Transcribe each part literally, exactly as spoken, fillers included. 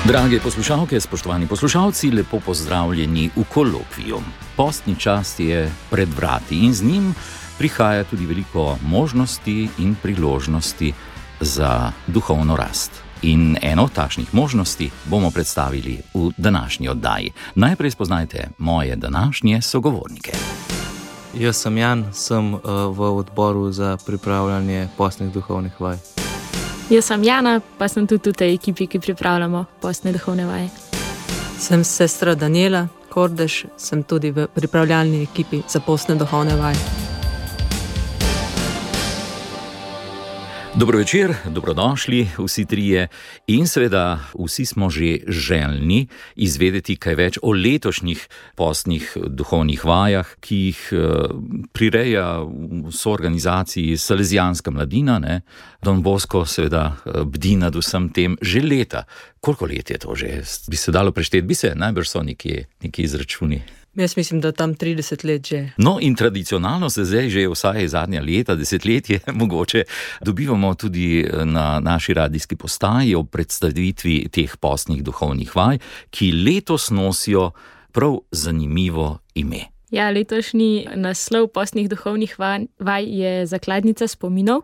Drage poslušalke, spoštovani poslušalci, lepo pozdravljeni v kolokviju. Postni čas je pred vrati in z njim prihaja tudi veliko možnosti in priložnosti za duhovno rast. In eno od takšnih možnosti bomo predstavili v današnji oddaji. Najprej spoznajte moje današnje sogovornike. Jaz sem Jan, sem uh, v odboru za pripravljanje postnih duhovnih vaj. Jaz sem Jana, pa sem tudi v tej ekipi, ki pripravljamo postne duhovne vaje. Sem sestra Daniela Kordež, sem tudi v pripravljalni ekipi za postne duhovne vaje. Dobro večer, dobrodošli vsi trije in seveda vsi smo že željni izvedeti kaj več o letošnjih postnih duhovnih vajah, ki jih prireja v soorganizaciji Salezijanska mladina, ne? Don Bosco seveda bdi nad vsem tem že leta. Koliko let je to že? Bi se dalo prešteti? Bi se, najbrž so nekje, nekje izračuni. Jaz mislim, da tam trideset let že. No, in tradicionalno se zdaj že vsaj zadnja leta, desetletje mogoče, dobivamo tudi na naši radijski postaji ob predstavitvi teh postnih duhovnih vaj, ki letos nosijo prav zanimivo ime. Ja, letošnji naslov postnih duhovnih vaj je Zakladnica spominov.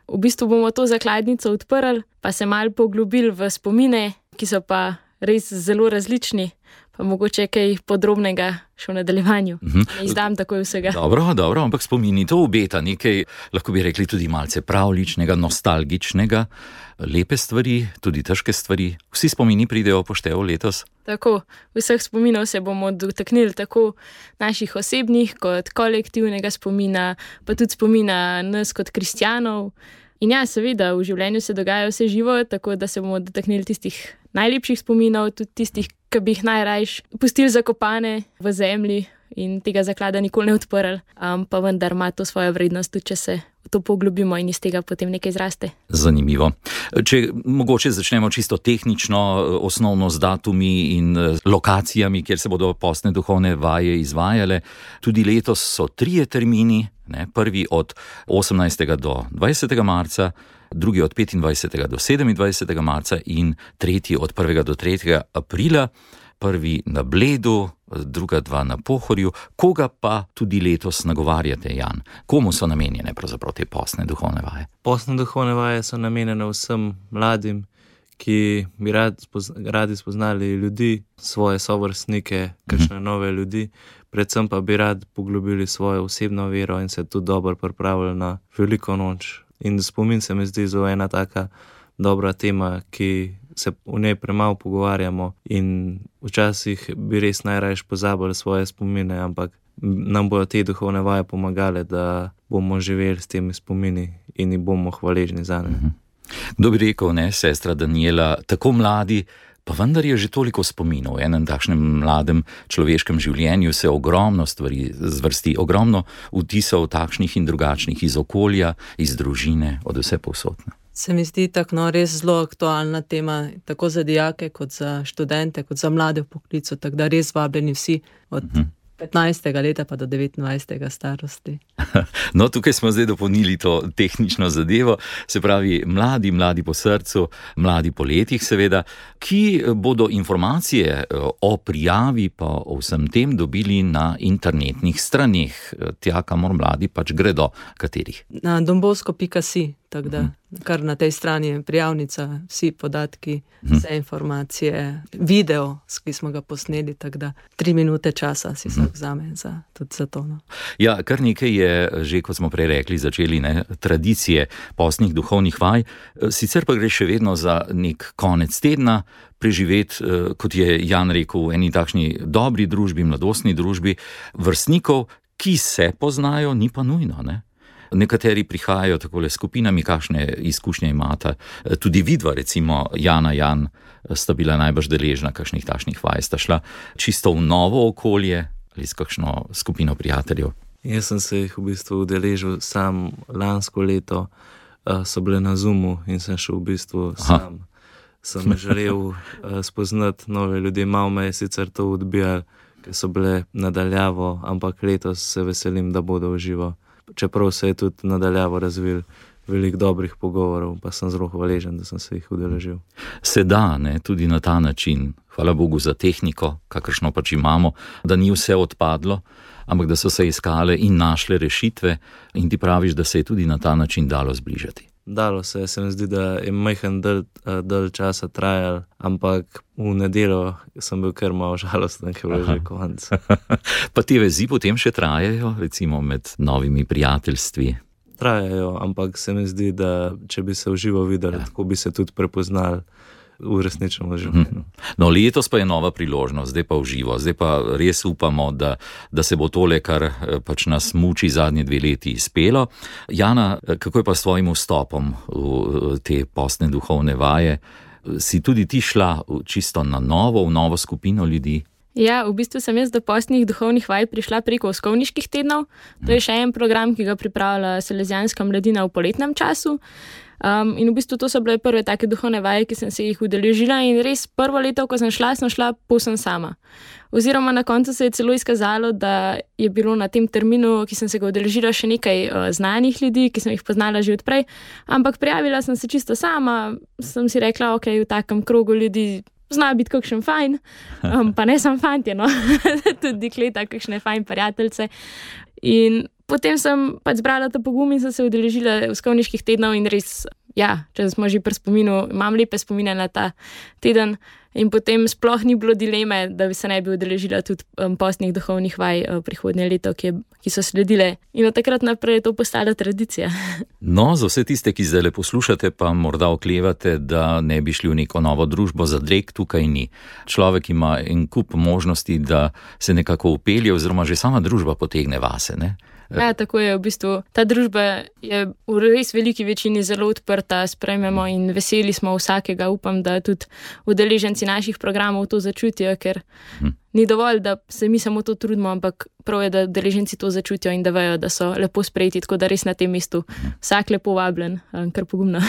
V bistvu bomo to zakladnico odprli, pa se malo poglobili v spomine, ki so pa res zelo različni. Pa mogoče kaj podrobnega še v nadaljevanju. Mm-hmm. Ne izdam takoj vsega. Dobro, dobro, ampak spomini to obeta nekaj, lahko bi rekli tudi malce pravličnega, nostalgičnega, lepe stvari, tudi težke stvari. Vsi spomini pridejo v poštev letos? Tako, vseh spominov se bomo dotaknili, tako naših osebnih kot kolektivnega spomina, pa tudi spomina nas kot kristjanov. In ja, seveda, v življenju se dogaja vse živo, tako da se bomo dotaknili tistih najlepših spominov, tudi tistih, ki bi jih najrajš pustili zakopane v zemlji in tega zaklada nikoli ne odprli, um, pa vendar ima to svojo vrednost, tudi če se v to poglobimo in iz tega potem nekaj zraste. Zanimivo. Če mogoče začnemo čisto tehnično, osnovno z datumi in lokacijami, kjer se bodo postne duhovne vaje izvajale. Tudi letos so trije termini, ne, prvi od osemnajstega do dvajsetega marca, drugi od petindvajsetega do sedemindvajsetega marca in tretji od prvega do tretjega aprila. Prvi na Bledu, druga dva na Pohorju. Koga pa tudi letos nagovarjate, Jan? Komu so namenjene pravzaprav te postne duhovne vaje? Postne duhovne vaje so namenjene vsem mladim, ki bi rad, radi spoznali ljudi, svoje sovrstnike, kakšne mm. nove ljudi, predvsem pa bi rad poglobili svojo osebno vero in se tudi dobro pripravili na veliko noč. In spomin se mi zdi zelo ena taka dobra tema, ki se v njej premalo pogovarjamo in včasih bi res najrajš pozabili svoje spomine, ampak nam bodo te duhovne vaje pomagale, da bomo živeli s temi spomini in jih bomo hvaležni za ne. Kdo bi rekel, ne, sestra Daniela, tako mladi, pa vendar je že toliko spominov. V enem takšnem mladem človeškem življenju se ogromno stvari zvrsti, ogromno vtisov takšnih in drugačnih iz okolja, iz družine, od vse povsod. Se mi zdi tako no, res zelo aktualna tema, tako za dijake, kot za študente, kot za mlade v poklicu, tako da res vabljeni vsi od uh-huh. petnajstega leta pa do devetnajstega starosti. No, tukaj smo zdaj dopolnili to tehnično zadevo, se pravi mladi, mladi po srcu, mladi po letih seveda, ki bodo informacije o prijavi pa o vsem tem dobili na internetnih straneh, tja, kamor mladi pač gredo, katerih? Na donbosco pika si. Tako da, kar na tej strani je prijavnica, vsi podatki, vse informacije, video, ki smo ga posneli, tako da tri minute časa si vsak vzame za, tudi za to. No. Ja, kar nekaj je že, kot smo prej rekli, začeli ne, tradicije postnih duhovnih vaj, sicer pa gre še vedno za nek konec tedna, preživeti, kot je Jan rekel, v eni takšni dobri družbi, mladostni družbi, vrstnikov, ki se poznajo, ni pa nujno, ne? Nekateri prihajajo takole skupinami, kakšne izkušnje imata. Tudi vidva, recimo Jana, Jan, sta bila najbrž deležna kakšnih takšnih vaj. Sta šla čisto v novo okolje ali s kakšno skupino prijateljev? Jaz sem se jih v bistvu udeležil sam lansko leto, so bile na Zoomu in sem šel v bistvu sam. Aha. Sem želel spoznati nove ljudi, malo me je sicer to odbijal, ki so bile nadaljavo, ampak letos se veselim, da bodo v živo. Čeprav se je tudi nadaljavo razvil veliko dobrih pogovorov, pa sem zelo hvaležen, da sem se jih udeležil. Se da, ne, tudi na ta način. Hvala Bogu za tehniko, kakršno pač imamo, da ni vse odpadlo, ampak da so se iskale in našle rešitve in ti praviš, da se je tudi na ta način dalo zbližati. Dalo se, se mi zdi, da je majhen del, del časa trajal, ampak v nedeljo sem bil kar malo žalosten, ker je bilo že konec. Pa te vezi potem še trajajo, recimo med novimi prijateljstvi? Trajajo, ampak se mi zdi, da če bi se v živo videli, ja. Tako bi se tudi prepoznali v resničnem življenju. No, letos pa je nova priložnost, zdaj pa v živo, zdaj pa res upamo, da, da se bo tole, kar pač nas muči zadnje dve leti, izpelo. Jana, kako je pa s tvojim vstopom v te postne duhovne vaje? Si tudi ti šla čisto na novo, v novo skupino ljudi? Ja, v bistvu sem jaz do postnih duhovnih vaj prišla preko Uskovniških tednov. To je še en program, ki ga pripravlja Salezijanska mladina v poletnem času. Um, in v bistvu to so bile prve take duhovne vaje, ki sem se jih udeležila, in res prvo leto, ko sem šla, sem šla povsem sama. Oziroma na koncu se je celo izkazalo, da je bilo na tem terminu, ki sem se ga udeležila, še nekaj uh, znanih ljudi, ki sem jih poznala že odprej, ampak prijavila sem se čisto sama, sem si rekla, ok, v takem krogu ljudi zna biti kakšen fajn, um, pa ne sam fantje, no, tudi dekleta, kakšne fajn prijateljce. In potem sem pač zbrala ta pogum in sem se udeležila Uskovniških tednov in res, ja, če smo že pri spominu, imam lepe spomine na ta teden in potem sploh ni bilo dileme, da bi se ne bi udeležila tudi um, postnih duhovnih vaj uh, prihodnje leto, ki, je, ki so sledile. In od takrat naprej je to postala tradicija. No, za vse tiste, ki zdaj le poslušate, pa morda oklevate, da ne bi šli v neko novo družbo, zadreg tukaj ni. Človek ima en kup možnosti, da se nekako upelje, oziroma že sama družba potegne vase, ne? Ja, tako je, v bistvu ta družba je v res veliki večini zelo odprta, sprejmemo in veseli smo vsakega. Upam, da tudi udeleženci naših programov to začutijo, ker hm. ni dovolj, da se mi samo to trudimo, ampak prav je, da udeleženci to začutijo in da vejo, da so lepo sprejeti, tako da res na tem mestu vsak lepo vabljen, kar pogumno.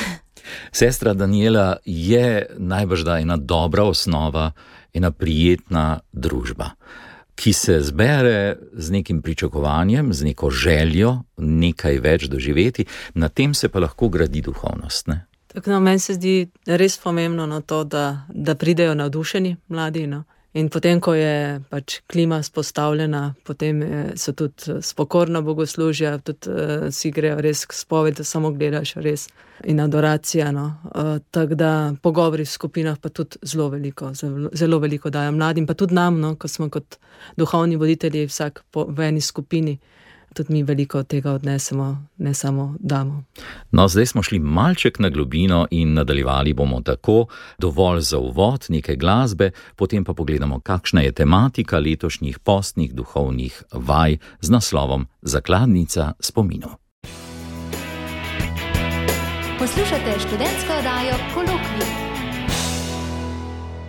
Sestra Danijela, je najbrž da ena dobra osnova, ena prijetna družba, ki se zbere z nekim pričakovanjem, z neko željo, nekaj več doživeti, na tem se pa lahko gradi duhovnost, ne? Tako, no, meni se zdi res pomembno na to, da, da pridejo navdušeni mladi, no? In potem, ko je pač klima spostavljena, potem so tudi spokorna bogoslužja, tudi uh, si grejo res k spovedi, da samo gledaš res in adoracija, no. Uh, tako da pogovori v skupinah pa tudi zelo veliko, zelo, zelo veliko dajo mladim, pa tudi nam, no, ko smo kot duhovni voditelji vsak po, v eni skupini, tudi mi veliko tega odnesemo, ne samo damo. No, zdaj smo šli malček na globino in nadaljevali bomo tako, dovolj za uvod, nekaj glasbe, potem pa pogledamo, kakšna je tematika letošnjih postnih duhovnih vaj z naslovom Zakladnica spominov. Poslušate študentsko oddajo Kolokvij.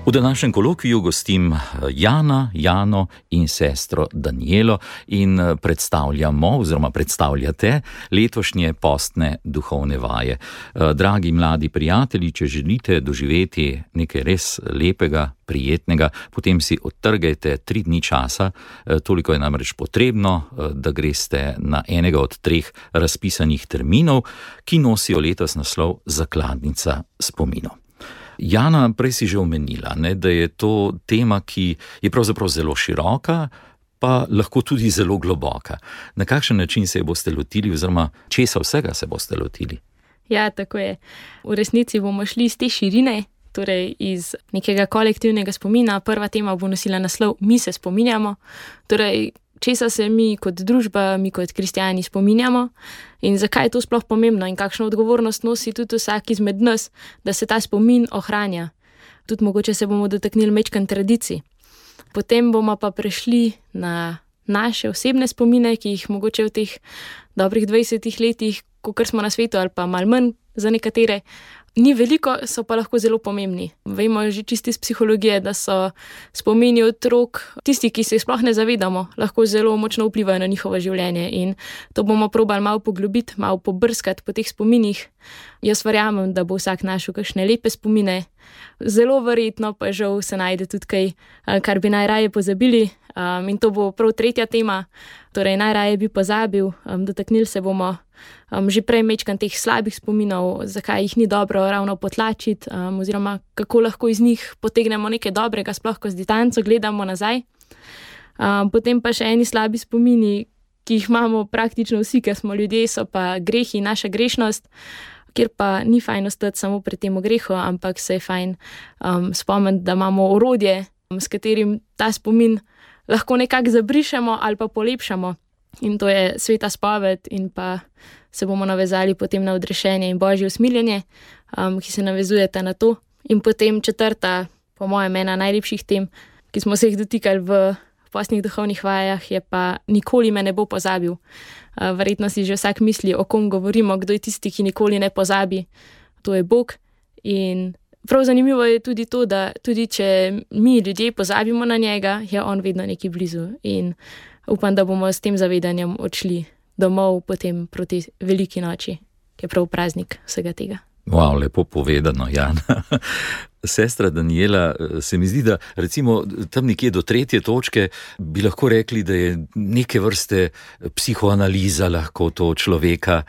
V današnjem kolokviju gostim Jana, Jano in sestro Danijelo in predstavljamo oziroma predstavljate letošnje postne duhovne vaje. Dragi mladi prijatelji, če želite doživeti nekaj res lepega, prijetnega, potem si odtrgajte tri dni časa, toliko je namreč potrebno, da greste na enega od treh razpisanih terminov, ki nosijo letos naslov Zakladnica spominov. Jana, prej si že omenila, ne, da je to tema, ki je pravzaprav zelo široka, pa lahko tudi zelo globoka. Na kakšen način se je boste lotili oziroma česa vsega se boste lotili? Ja, tako je. V resnici bomo šli iz te širine, torej iz nekega kolektivnega spomina. Prva tema bo nosila naslov Mi se spominjamo, torej česa se mi kot družba, mi kot kristjani spominjamo in zakaj je to sploh pomembno in kakšno odgovornost nosi tudi vsak izmed nas, da se ta spomin ohranja. Tudi mogoče se bomo dotaknili mečkan tradicij. Potem bomo pa prešli na naše osebne spomine, ki jih mogoče v teh dobrih dvajsetih letih, kakor smo na svetu ali pa malo manj za nekatere, ni veliko, so pa lahko zelo pomembni. Vemo že čisti iz psihologije, da so spomini otrok, tisti, ki se sploh ne zavedamo, lahko zelo močno vplivajo na njihovo življenje in to bomo probali malo poglobiti, malo pobrskati po teh spominih. Jaz verjamem, da bo vsak našel kakšne lepe spomine, zelo verjetno pa žal se najde tudi kaj, kar bi najraje pozabili, Um, in to bo prav tretja tema, torej najraje bi pozabil, um, dotaknili se bomo um, že prej mečkan teh slabih spominov, zakaj jih ni dobro ravno potlačiti, um, oziroma kako lahko iz njih potegnemo nekaj dobrega, sploh ko z distanco gledamo nazaj. Um, potem pa še eni slabi spomini, ki jih imamo praktično vsi, ker smo ljudje, so pa grehi, naša grešnost, kjer pa ni fajn ostati samo pri tem grehu, ampak se je fajn um, spomniti, da imamo orodje, um, s katerim ta spomin lahko nekako zabrišemo ali pa polepšamo. In to je sveta spoved in pa se bomo navezali potem na odrešenje in božje usmiljenje, um, ki se navezujete na to. In potem četrta, po mojem, ena najlepših tem, ki smo se jih dotikali v postnih duhovnih vajah, je pa nikoli me ne bo pozabil. Uh, verjetno si že vsak misli, o kom govorimo, kdo je tisti, ki nikoli ne pozabi. To je Bog. In prav zanimivo je tudi to, da tudi če mi ljudje pozabimo na njega, je on vedno nekje blizu. In upam, da bomo s tem zavedanjem odšli domov potem proti veliki noči, ki je prav praznik vsega tega. Wow, lepo povedano, Jan. Sestra Danijela, se mi zdi, da recimo tam nekje do tretje točke bi lahko rekli, da je neke vrste psihoanaliza lahko to človeka,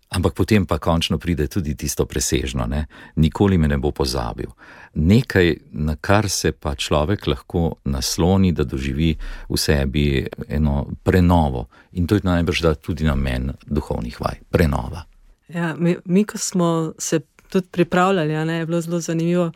ampak potem pa končno pride tudi tisto presežno, ne? Nikoli me ne bo pozabil. Nekaj, na kar se pa človek lahko nasloni, da doživi v sebi eno prenovo. In to je najbrž da tudi namen duhovnih vaj, prenova. Ja, mi, mi, ko smo se tudi pripravljali, ja, ne, je bilo zelo zanimivo,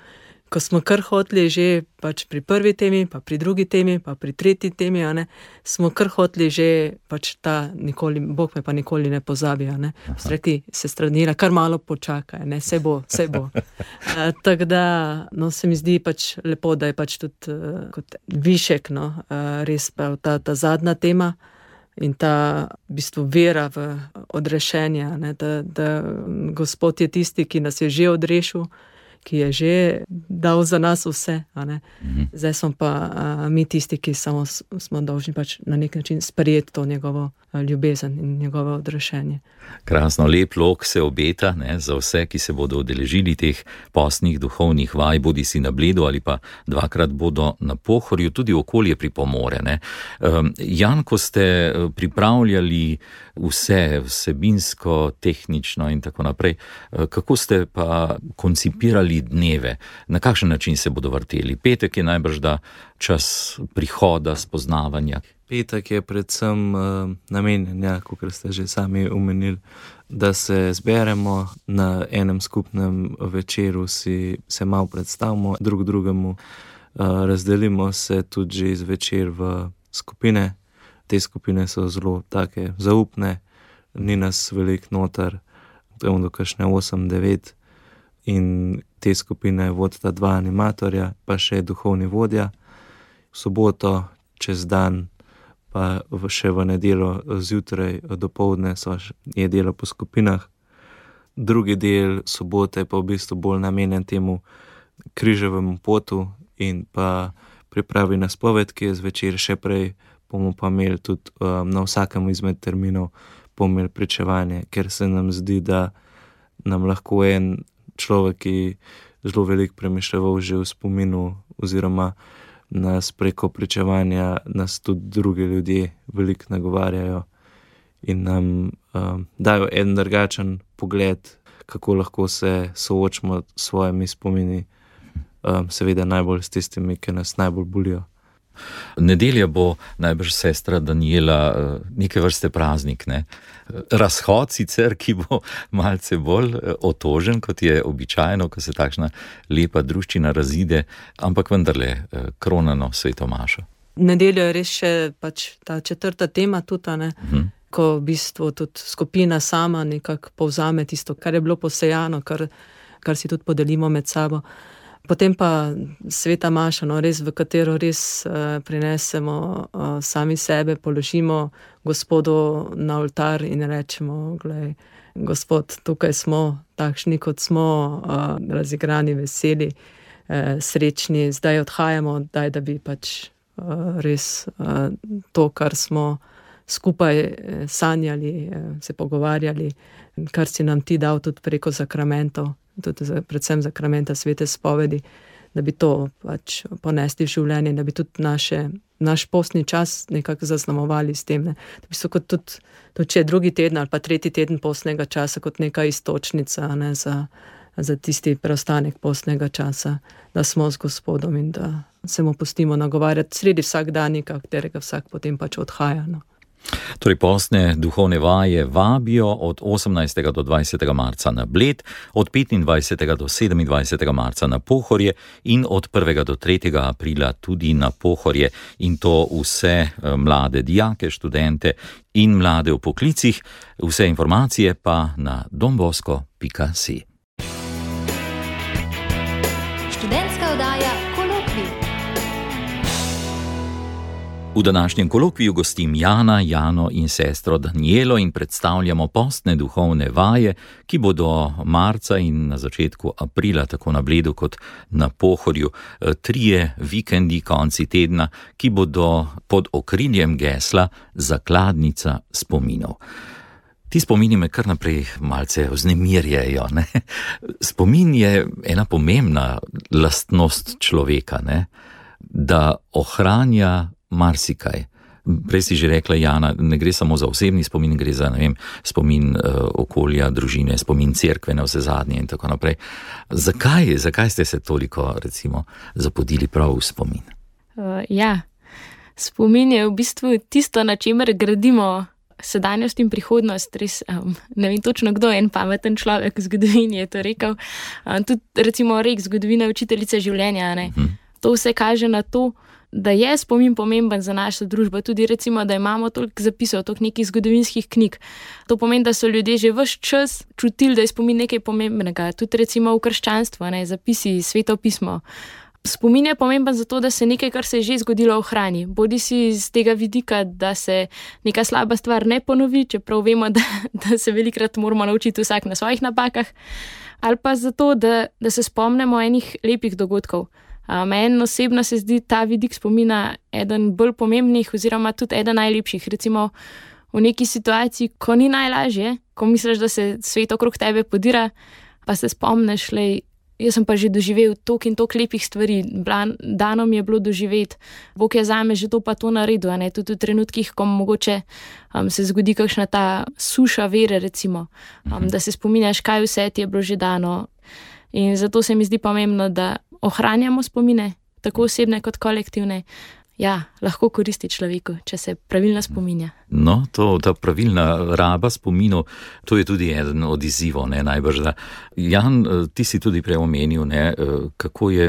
ko smo kar hoteli že pač pri prvi temi, pa pri drugi temi, pa pri tretji temi, ja, ne, smo kar hoteli že pač ta nikoli, Bog me pa nikoli ne pozabi, ja, ne. Rekli, sestra Danijela, kar malo počakaj, ne, se bo, se bo. uh, Tako da, no, se mi zdi pač lepo, da je pač tudi uh, kot višek, no, uh, res pa ta, ta zadnja tema, in ta v bistvu vera v odrešenje, ne, da, da Gospod je tisti, ki nas je že odrešil, ki je že dal za nas vse. A ne. Mhm. Zdaj smo pa a, mi tisti, ki samo smo dolžni pač na nek način sprejeti to njegovo a, ljubezen in njegovo odrešenje. Krasno, lep lok se obeta, ne, za vse, ki se bodo udeležili teh postnih duhovnih vaj, bodi si na Bledu ali pa dvakrat bodo na Pohorju, tudi okolje pripomore. Ne. Um, Jan, ko ste pripravljali vse vsebinsko, tehnično in tako naprej, kako ste pa koncipirali dneve, na kakšen način se bodo vrteli? Petek je najbrž da čas prihoda, spoznavanja. Petek je predvsem uh, namenjen, ja, kot ste že sami omenili, da se zberemo na enem skupnem večeru, si se malo predstavimo drug drugemu, uh, razdelimo se tudi že zvečer v skupine. Te skupine so zelo take zaupne, ni nas veliko noter, to do kakšne osem devet, in te skupine vodita dva animatorja, pa še duhovni vodja. V soboto čez dan, pa še v nedeljo zjutraj dopoldne so je delo po skupinah. Drugi del sobote pa v bistvu bolj namenjen temu križevemu potu in pa pripravi na spoved, ki je zvečer. Še prej bomo pa imeli tudi um, na vsakem izmed terminov bomo imeli pričevanje, ker se nam zdi, da nam lahko en človek, ki zelo veliko premišljeval že v spominu, oziroma nas preko pričevanja nas tudi drugi ljudje veliko nagovarjajo in nam um, dajo en drugačen pogled, kako lahko se soočimo s svojimi spomini, um, seveda najbolj s tistimi, ki nas najbolj bolijo. Nedelja bo najbrž, sestra Danijela, neke vrste praznik, ne? Razhod sicer, ki bo malce bolj otožen, kot je običajno, ko se takšna lepa druščina razide, ampak vendarle kronano sveto mašo. Nedeljo je res še pač ta četrta tema tudi, ne? Uh-huh. Ko v bistvu tudi skupina sama nekako povzame tisto, kar je bilo posejano, kar, kar si tudi podelimo med sabo. Potem pa sveta maša, no, res, v katero res uh, prinesemo uh, sami sebe, položimo Gospodu na oltar in rečemo, glej, Gospod, tukaj smo, takšni kot smo, uh, razigrani, veseli, uh, srečni, zdaj odhajamo, daj, da bi pač uh, res uh, to, kar smo skupaj uh, sanjali, uh, se pogovarjali, kar si nam ti dal tudi preko sakramentov, tudi za, predvsem zakramenta svete spovedi, da bi to pač ponesli v življenje, da bi tudi naše naš postni čas nekako zaznamovali s tem. Ne. To bi so kot tudi, tudi če je drugi teden ali pa tretji teden postnega časa kot neka istočnica, ne, za, za tisti preostanek postnega časa, da smo z Gospodom in da se mu pustimo nagovarjati sredi vsakdanika, katerega vsak potem pač odhaja. No. Torej, postne duhovne vaje vabijo od osemnajstega do dvajsetega marca na Bled, od petindvajsetega do sedemindvajsetega marca na Pohorje in od prvega do tretjega aprila tudi na Pohorje, in to vse mlade dijake, študente in mlade v poklicih. Vse informacije pa na dombosko pika si. Študentska oddaja Kolokvij. V današnjem kolokviju gostim Jana, Jano in sestro Danijelo in predstavljamo postne duhovne vaje, ki bodo marca in na začetku aprila tako na Bledu kot na Pohorju. Trije vikendi, konci tedna, ki bodo pod okriljem gesla Zakladnica spominov. Ti spomini me kar naprej malce vznemirjajo. Ne? Spomin je ena pomembna lastnost človeka, ne? Da ohranja marsikaj. Prej si že rekla, Jana, ne gre samo za osebni spomin, gre za, ne vem, spomin uh, okolja, družine, spomin cerkve na vse zadnje in tako naprej. Zakaj, zakaj ste se toliko, recimo, zapodili prav v spomin? Uh, ja, spomin je v bistvu tisto, na čemer gradimo sedanjost in prihodnost. Res, um, ne vem točno, kdo je en pameten človek v zgodovini je to rekel. Um, tudi recimo rek zgodovina učiteljice življenja, ne? Uh-huh. To vse kaže na to, da je spomin pomemben za našo družbo, tudi recimo, da imamo toliko zapisov, toliko nekih zgodovinskih knjig. To pomeni, da so ljudje že ves čas čutili, da je spomin nekaj pomembnega. Tudi recimo v krščanstvu, ne, zapisi, sveto pismo. Spomin je pomemben zato, da se nekaj, kar se je že zgodilo, ohrani. Bodi si iz tega vidika, da se neka slaba stvar ne ponovi, čeprav vemo, da, da se velikrat moramo naučiti vsak na svojih napakah, ali pa zato, da, da se spomnimo enih lepih dogodkov. Meni osebno se zdi ta vidik spomina eden bolj pomembnih oziroma tudi eden najlepših. Recimo v neki situaciji, ko ni najlažje, ko misliš, da se svet okrog tebe podira, pa se spomniš, lej, jaz sem pa že doživel toliko in toliko lepih stvari, dano mi je bilo doživeti, Bog je zame že to pa to naredil, ne? Tudi v trenutkih, ko mogoče um, se zgodi kakšna ta suša vere, recimo, um, da se spominjaš, kaj vse ti je bilo že dano. In zato se mi zdi pomembno, da ohranjamo spomine, tako osebne kot kolektivne. Ja, lahko koristi človeku, če se pravilno spominja. No, to, ta pravilna raba spominov, to je tudi eden od izzivov, ne, najbrž. Da. Jan, ti si tudi prej omenil, ne, kako je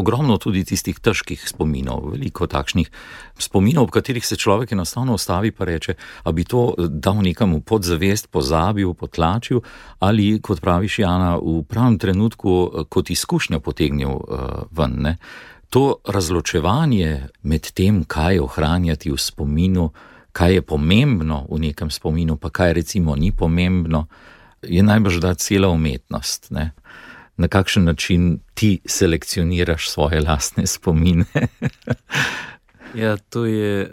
ogromno tudi tistih težkih spominov, veliko takšnih spominov, v katerih se človek enostavno ostavi pa reče, a bi to dal nekam v podzavest, pozabil, potlačil, ali, kot praviš, Jana, v pravem trenutku kot izkušnjo potegnil uh, ven, ne. To razločevanje med tem, kaj ohranjati v spominu, kaj je pomembno v nekem spominu, pa kaj recimo ni pomembno, je najbrž da cela umetnost. Ne? Na kakšen način ti selekcioniraš svoje lastne spomine? Ja, to je,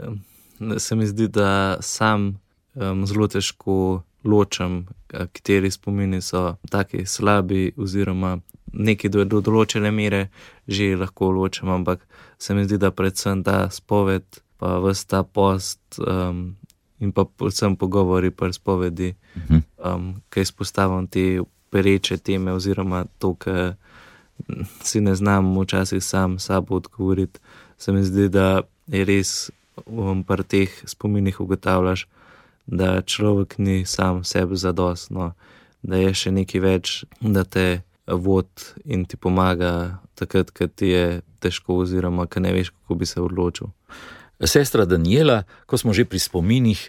se mi zdi, da sam um, zelo težko ločam, kateri spomini so taki slabi oziroma neki do, do določene mere že lahko ločem, ampak se mi zdi, da predvsem ta spoved, pa ves ta post um, in pa predvsem pogovori pri spovedi, um, ki izpostavljam te pereče teme oziroma to, ki si ne znam včasih sam sabo odgovoriti, se mi zdi, da je res um, pri teh spominih ugotavljaš, da človek ni sam sebi zadost, no, da je še nekaj več, da te vod in ti pomaga takrat, ko ti je težko oziroma ko ne veš, kako bi se odločil. Sestra Danijela, ko smo že pri spominih,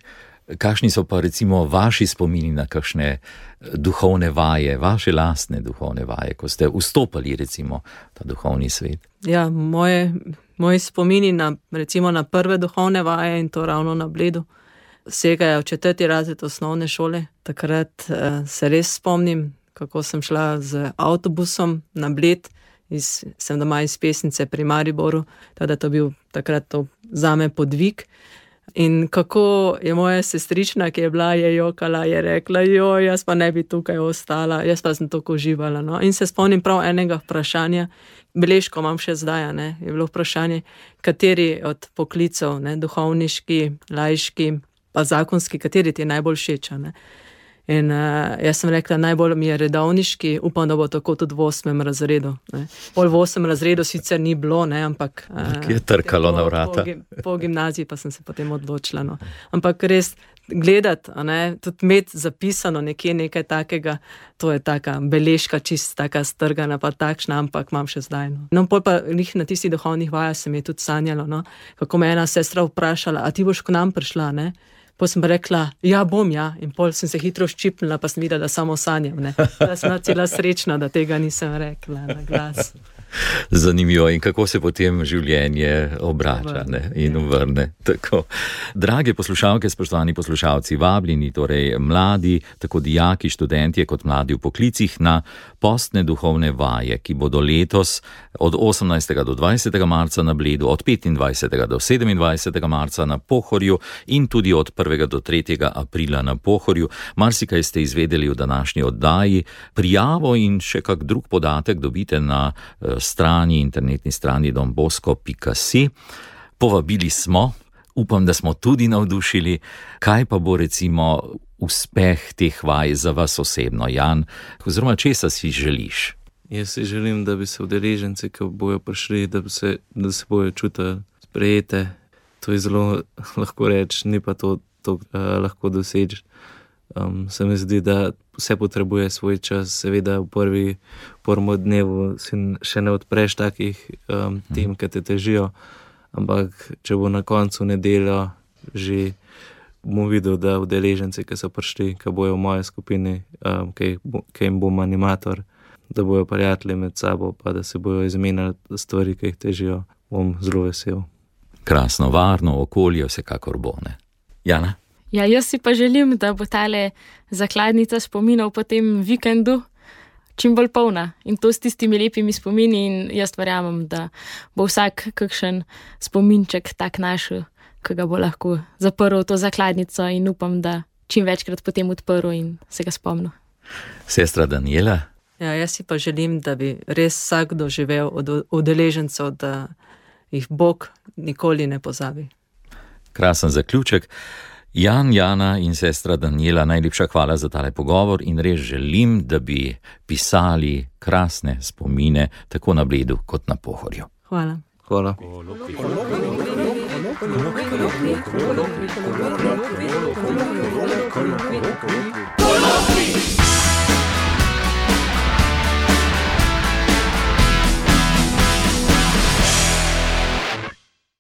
kakšni so pa recimo vaši spomini na kakšne duhovne vaje, vaše lastne duhovne vaje, ko ste vstopali recimo v ta duhovni svet? Ja, moje, moji spomini na, recimo na prve duhovne vaje in to ravno na Bledu, segajo v četrti razred osnovne šole. Takrat uh, se res spomnim, kako sem šla z avtobusom na Bled, iz, sem doma iz Pesnice pri Mariboru, teda to bil takrat to zame podvig. In kako je moja sestrična, ki je bila, je jokala, je rekla, joj, jaz pa ne bi tukaj ostala, jaz pa sem toliko uživala. No? In se spomnim prav enega vprašanja, beležko imam še zdaj, ne? Je bilo vprašanje, kateri od poklicov, ne? Duhovniški, laiški, pa zakonski, kateri ti je najbolj všeč, ne? In uh, jaz sem rekla, najbolj mi je redovniški, upam, da bo tako tudi v osmem razredu. Ne. Pol v osmem razredu sicer ni bilo, ne, ampak... Uh, je trkalo po, na vrata. Po, po gimnaziji pa sem se potem odločila. No. Ampak res gledati, ne, tudi imeti zapisano nekje nekaj takega, to je taka beležka, čist taka strgana, pa takšna, ampak imam še zdaj. No, no pol pa njih na tistih duhovnih vajah se mi je tudi sanjalo, no, kako me ena sestra vprašala, a ti boš k nam prišla, ne? Pol sem rekla, ja, bom, ja, in pol sem se hitro ščipnila, pa sem videla, da samo sanjam, ne. Da sem cela srečna, da tega nisem rekla na glas. Zanimivo, in kako se potem življenje obrača, ne, in vrne. Tako. Drage poslušalke, spoštovani poslušalci, vabljeni, torej mladi, tako dijaki, študentje kot mladi v poklicih na postne duhovne vaje, ki bodo letos od osemnajstega do dvajsetega marca na Bledu, od petindvajsetega do sedemindvajsetega marca na Pohorju in tudi od prvega do tretjega aprila na Pohorju. Marsikaj ste izvedeli v današnji oddaji. Prijavo in še kak drug podatek dobite na strani, internetni strani don bosco pika si. Povabili smo, upam, da smo tudi navdušili. Kaj pa bo recimo uspeh teh vaj za vas osebno, Jan? Oziroma, česa si želiš? Jaz si želim, da bi se udeleženci, ki bojo prišli, da, bi se, da se bojo čutili sprejete. To je zelo lahko reči, ni pa to, to uh, lahko doseči. Um, se mi zdi, da vse potrebuje svoj čas, seveda v prvi prvem dnevu si še ne odpreš takih um, tem, ki te težijo, ampak če bo na koncu nedeljo že bom videl, da udeleženci, ki so prišli, ki bojo v moji skupini, um, ki, ki jim bom animator, da bojo prijatelji med sabo, pa da se bojo izmenjali stvari, ki jih težijo, bom zelo vesel. Krasno, varno okolje vsekakor bo, ne? Jana? Ja, jaz si pa želim, da bo tale zakladnica spominov po tem vikendu čim bolj polna in to s tistimi lepimi spomini in jaz verjamem, da bo vsak kakšen spominček tak našel, ki ga bo lahko zaprl to zakladnico in upam, da čim večkrat potem odprl in se ga spomnil. Sestra Daniela? Ja, jaz si pa želim, da bi res vsak doživel od udeležencev, da jih Bog nikoli ne pozabi. Krasen zaključek. Jan, Jana in sestra Daniela, najlepša hvala za tale pogovor in res želim, da bi pisali krasne spomine tako na Bledu kot na Pohorju. Hvala. Hvala. Hvala.